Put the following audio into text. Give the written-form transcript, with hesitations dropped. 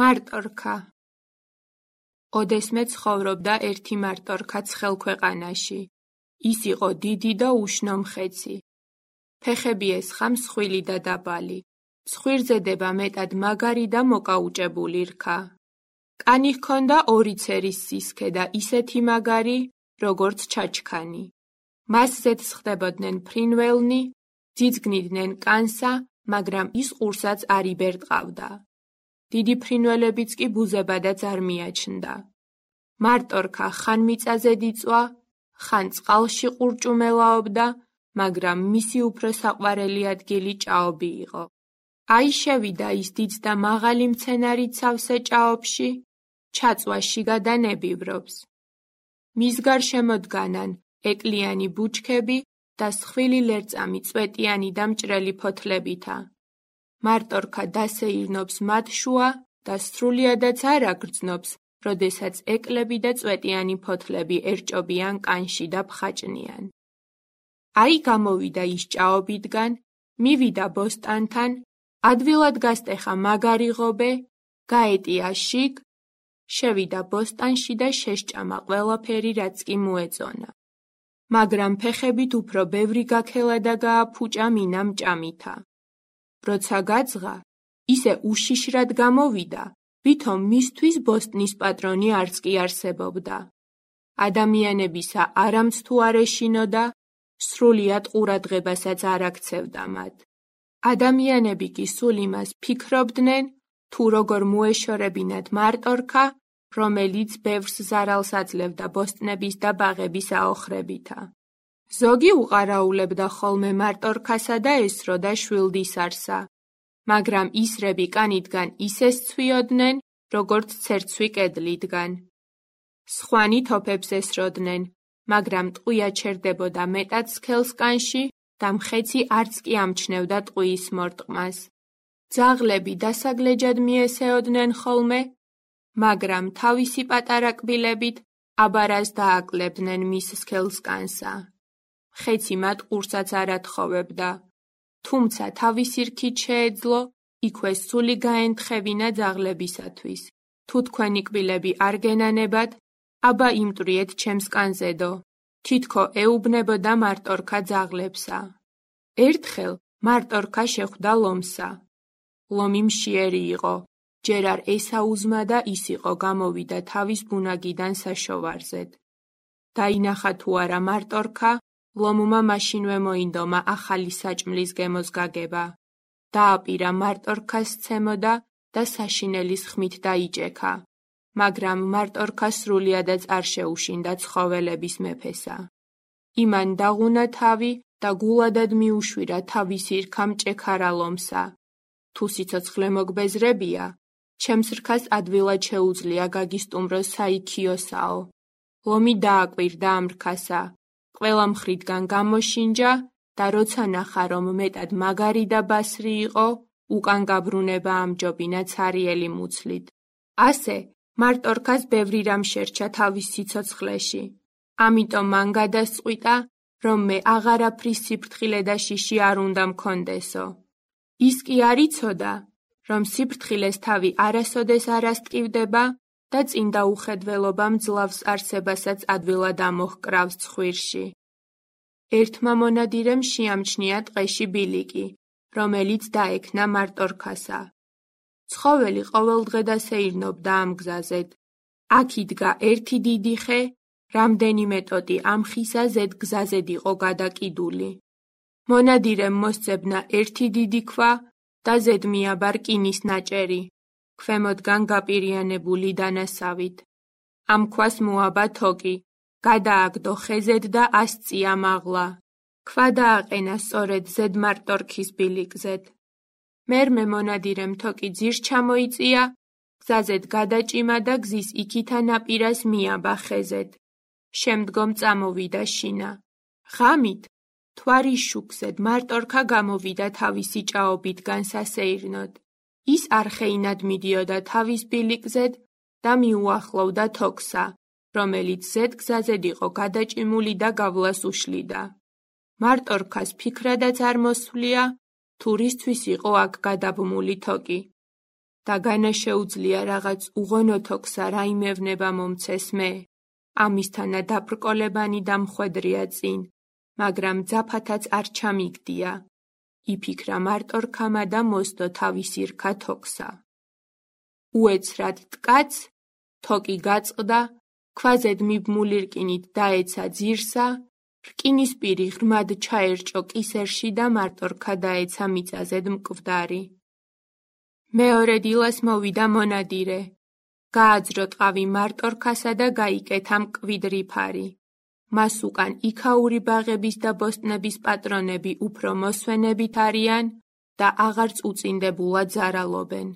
მარტორქა. ოდესმე ცხოვრობდა ერთი მარტორქა ცხელ ქვეყანაში. ის იყო დიდი და უშნო მხეცი. ფეხები ესხა მსხვილი და დაბალი. ცხვირზედება მეტად მაგარი და მოკაუჭებული რქა. კანი ჰქონდა ორი ცერის სისქე და ისეთი მაგარი, როგორც ჩაჩქანი. მასზეც ხდებოდნენ ფრინველნი, ძიძგნიდნენ კანსა, მაგრამ ის ყურსაც არ იბერტყავდა. დიდი ფრინველებიც კი ბუზებადაც არ მიაჩნდა. მარტორქა ხან მიწაზე იწვა, ხან წყალში ყურჭუმელაობდა, მაგრამ მისი უფრო საყვარელი ადგილი ჭაობი იყო. აი შევიდა ის დიდ და მაღალი მცენარით სავსე ჭაობში, ჩაწვაში გადანებივრობს. მის გარშემოდგანან ეკლიანი ბუჩქები და სხვილი ლერწამი წვეტიანი და მჭრელი ფოთლებითა. მარტორქა დასეირნობს მათ შუა და სრულიადაც არ აგრძნობს, როდესაც ეკლები და წვეტიანი ფოთლები ერჭობიან კანში და ფხაჭნიან. აი გამოვიდა ის ჭაობიდან, მივიდა ბოსტანთან, ადვილად გასტეხა მაგარი ღობე, გაეტია შიგ, შევიდა ბოსტანში და შესჭამა ყველაფერი, რაც კი მოეწონა. მაგრამ ფეხებით უფრო ბევრი გაქელა და გააფუჭა მინამ ჭამითა. როცა გაძღა, ისე უშიშრად გამოვიდა, ვითომ მისთვის ბოსტნის პატრონი არც კი არსებობდა. ადამიანებისა არამც თუ არ ეშინოდა, სრულიად ყურადღებასაც არ აქცევდა მათ. ადამიანები კი სულ იმას ფიქრობდნენ, თუ როგორ მოეშორებინათ მარტორქა, რომელიც ბევრს ზარალს აძლევდა ბოსტნების და ბაღების აოხრებითა. ზოგი უყარაულებდა ხოლმე მარტორქასა და ესროდა შვილდისარსა, მაგრამ ისრები კანიდან ისე სცვიოდნენ, როგორც ცერცვი კედლიდან. სხვანი თოფებს ესროდნენ, მაგრამ ტყვია ჩერდებოდა მეტად სქელს კანში და მხეცი არც კი ამჩნევდა ტყვიის მორტყმას. ძაღლები დასაგლეჯად მიესეოდნენ ხოლმე, მაგრამ თავისი პატარა კბილებით აბარას დააკლებდნენ მის სქელს კანსა. მხეცი მათ ყურსაც არ ათხოვებდა, თუმცა თავისი რქით შეეძლო, იქვე სული გაენთხევინა ძაღლებისათვის. თუ თქვენი კბილები არ გენანებათ, აბა იმტვრიეთ ჩემს კანზედო, თითქო ეუბნებოდა მარტორქა ძაღლებსა. ერთხელ მარტორქა შეხვდა ლომსა. ლომი მშიერი იყო, ჯერ არ ესაუზმა და ის იყო გამოვიდა თავის ბუნაგიდან საშოვარზედ. დაინახა თუ არა მარტორქა, ლომმა მაშინვე მოინდომა ახალი საჭმლის გემოს გაგება. დააპირა მარტორქას სცემოდა და საშინელის ხმით დაიჭექა, მაგრამ მარტორქა სრულიადაც არ შეუშინდა ცხოველების მეფესა. იმან დაღუნა თავი და გულადად მიუშვირა თავისი რქა მჭექარა ლომსა. თუ სიცოცხლე მოგბეზრებია, ჩემს რქას ადვილად შეუძლია გაგისტუმროს საიქიოსაო. ლომი დააკვირდა ამ რქასა, ყველა მხრიდან გამოშინჯა და როცა ნახა, რომ მეტად მაგარი და ბასრი იყო, უკან გაბრუნება ამჯობინა ცარიელი მუცლით. ასე მარტორქას ბევრი რამ შერჩა თავის სიცოცხლეში. ამიტომ მან გადასწყვიტა, რომ მე აღარაფრის სიფრთხილე და შიში არ უნდა მქონდესო. ის კი არ იცოდა, რომ სიფრთხილეს თავი არასოდეს არ ასტკივდება და წინდა უხედველობა მძლავს არსებასაც ადვილად ამოჰკრავს ცხვირში. ერთმა მონადირემ შეამჩნია ტყეში ბილიკი, რომელიც დაექნა მარტორქასა. ცხოველი ყოველდღე დასეირნობდა ამ გზაზედ. აქ იდგა ერთი დიდი ხე, რამდენიმე ტოტი ამ ხისა ზედ გზაზედ იყო გადაკიდული. მონადირემ მოსწებნა ერთი დიდი ქვა და ზედ მიაბა რკინის ნაჭერი, ქვემოდგან გაპირიანებული დანასავით. ამ ქვას მოაბა თოკი, გადააგდო ხეზედ და ასწია მაღლა. ქვა დააყენა სწორედ ზედ მარტორქის ბილიკზედ. მერმე მონადირემ თოკი ძირს ჩამოიწია, გზაზედ გადაჭიმა და გზის იქითა ნაპირას მიაბა ხეზედ. შემდგომ წამოვიდა შინა. ღამით, მთვარის შუქზედ მარტორქა გამოვიდა თავისი ჭაობიდან სასეირნოდ. ის არხეინად მიდიოდა თავის ბილიკზედ და მიუახლოვდა თოქსა, რომელიც ზედ გზაზედ იყო გადაჭიმული და გავლას უშლიდა. მარტორქას ფიქრადაც არ მოსვლია, თუ რისთვის იყო აქ გადაბმული თოკი. და განა შეუძლია რაღაც უღონოთოქსა რაიმევნება მომცეს მე. ამისთანა დაბრკოლებანი და მხვედრია წინ, მაგრამ ძაფათაც არ ჩამიგდია. იფიქრა მარტორქამა და მოსდო თავისი რქა თოქსა. უეცრად ткაც, თოკი გაწყდა, ქვაზედ მიბმული რკინით დაეცა ძირსა, რკინის პირი ღრმად ჩაერჭო კისერში და მარტორქა დაეცა მიწაზედ მკვდარი. მეორე დილას მოვიდა მონადირე. გააძრო ტყავი მარტორქასა და გაიკეთა მკვიდრი ფარი. მას უკან იქაური ბაღების და ბოსტნების პატრონები უფრო მოსვენებით არიან და აღარც უწინდებულად ზარალობენ.